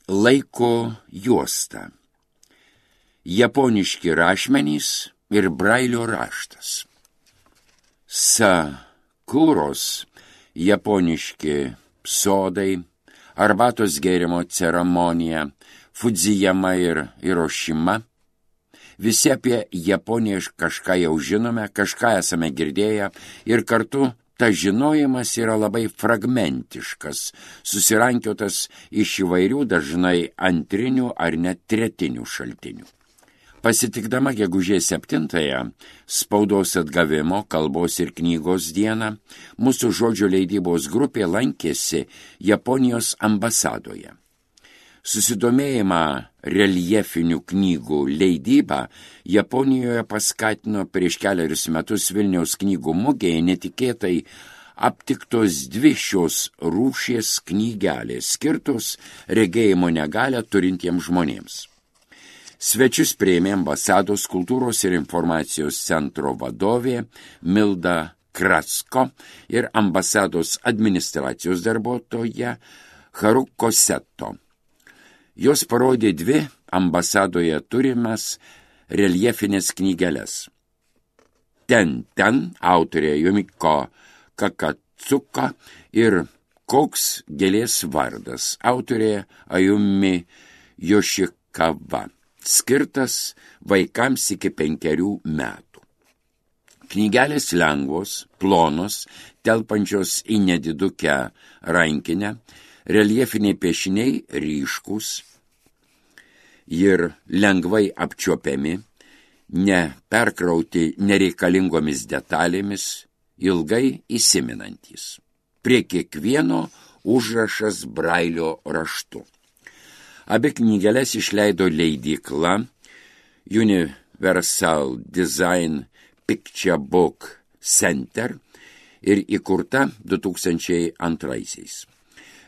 Laiko juosta. Japoniški rašmenys ir brailio raštas. Sakuros, japoniški sodai, arbatos gėrimo ceremonija, Fudzijama ir Hirošima. Visi apie Japoniją kažką jau žinome, kažką esame girdėję ir kartu tas žinojimas yra labai fragmentiškas, susirankiotas iš įvairių dažnai antrinių ar net tretinių šaltinių. Pasitikdama gegužės 7-ąją, spaudos atgavimo, kalbos ir knygos dieną, mūsų žodžių leidybos grupė lankėsi Japonijos ambasadoje. Susidomėjimą reljefinių knygų leidybą Japonijoje paskatino prieš keliarius metus Vilniaus knygų mugėje netikėtai aptiktos 2 šios rūšies knygelės, skirtos regėjimo negalią turintiems žmonėms. Svečius priėmė ambasados kultūros ir informacijos centro vadovė Milda Krasko ir ambasados administracijos darbuotoja Haruko Seto. Jos parodė 2 ambasadoje turimas reljefinės knygeles. Ten autorė Jumiko Kakatsuka ir Koks gėlės vardas, autorė Ayumi Yoshikawa, skirtas vaikams iki 5 metų. Knygelės lengvos, plonos, telpančios į nedidukę rankinę, reljefiniai piešiniai ryškūs ir lengvai apčiuopiami, neperkrauti nereikalingomis detalėmis, ilgai įsiminantys. Prie kiekvieno užrašas brailio raštu. Abi knygeles išleido leidykla Universal Design Picture Book Center ir įkurta 2002-aisiais.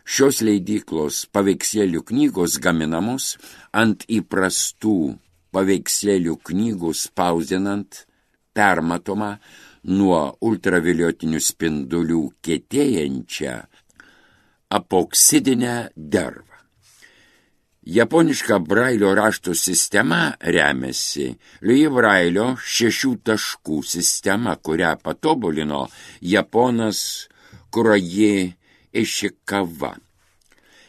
Šios leidyklos paveikslėlių knygos gaminamos ant įprastų paveikslėlių knygų spausdinant permatomą nuo ultravioletinių spindulių kietėjančią apoksidinę dervą. Japoniška brailio rašto sistema remiasi Louis Brailio 6 taškų sistema, kurią patobulino japonas Kuroji Ishikawa.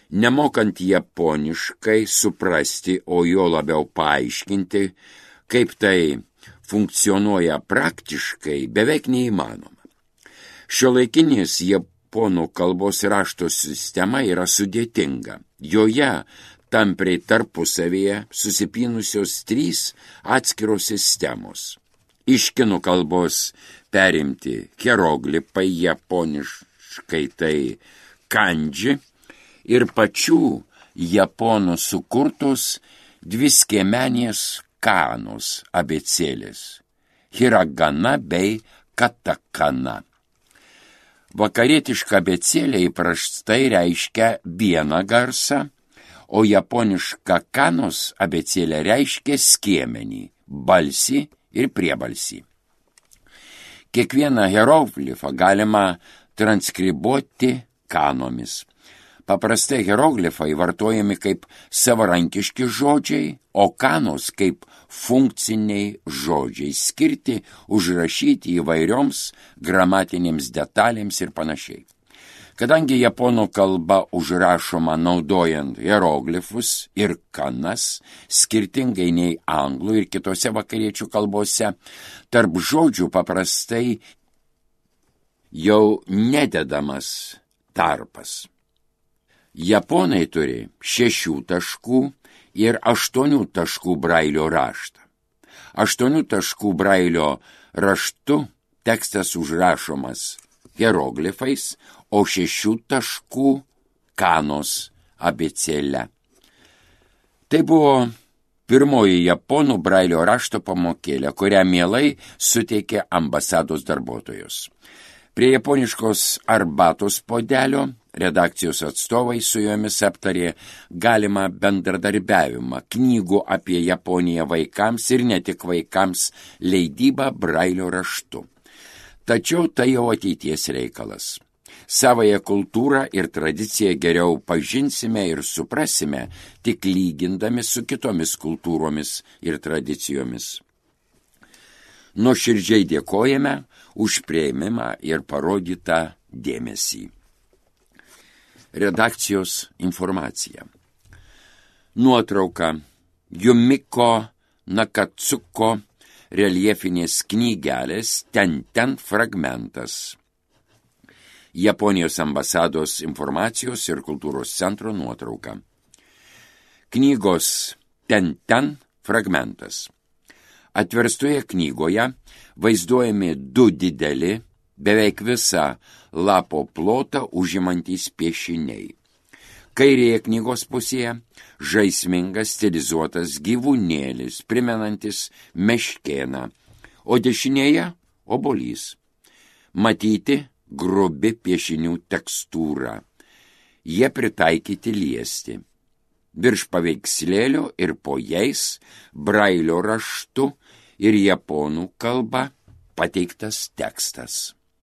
Nemokant japoniškai suprasti, o jo labiau paaiškinti, kaip tai funkcionuoja praktiškai, beveik neįmanoma. Šiuolaikinės japonų kalbos rašto sistema yra sudėtinga. Joje tampriai tarpusavyje susipynusios 3 atskiros sistemos. Iš kinų kalbos perimti hieroglifai, japoniškai tai kanji, ir pačių japonų sukurtos 2 skiemenės kanos abėcėlės – hiragana bei katakana. Vakarietiška abėcėlė įprastai reiškia vieną garsą, o japoniška kanos abėcėlė reiškia skiemenį, balsį ir priebalsį. Kiekvieną hieroglifą galima transkribuoti kanomis. Paprastai hieroglifai vartojami kaip savarankiški žodžiai, o kanos kaip funkciniai žodžiai, skirti užrašyti įvairioms gramatinėms detalėms ir panašiai. Kadangi japonų kalba užrašoma naudojant hieroglifus ir kanas, skirtingai nei anglų ir kitose vakariečių kalbose, tarp žodžių paprastai jau nededamas tarpas. Japonai turi 6 taškų ir 8 taškų brailio raštą. 8 taškų brailio raštu tekstas užrašomas hieroglifais, o 6 taškų kanos abėcėle. Tai buvo pirmoji japonų brailio rašto pamokėlė, kurią mielai suteikė ambasados darbuotojos. Prie japoniškos arbatos puodelio redakcijos atstovai su jomis aptarė galimą bendradarbiavimą knygų apie Japoniją vaikams ir ne tik vaikams leidybą brailio raštu. Tačiau tai jau ateities reikalas. Savąją kultūrą ir tradiciją geriau pažinsime ir suprasime, tik lygindami su kitomis kultūromis ir tradicijomis. Nuoširdžiai dėkojame už priėmimą ir parodytą dėmesį. Redakcijos informacija. Nuotrauka Jumiko Nakatsuko reljefinės knygelės ten fragmentas. Japonijos ambasados informacijos ir kultūros centro nuotrauka. Knygos ten fragmentas. Atverstoje knygoje vaizduojami 2 dideli, beveik visą lapo plotą užimantys piešiniai. Kairėje knygos pusėje žaismingas stilizuotas gyvūnėlis, primenantis meškėną, o dešinėje obuolys. Matyti grubi piešinių tekstūra. Jie pritaikyti liesti. Virš paveikslėlio ir po jais brailio raštu ir japonų kalba pateiktas tekstas.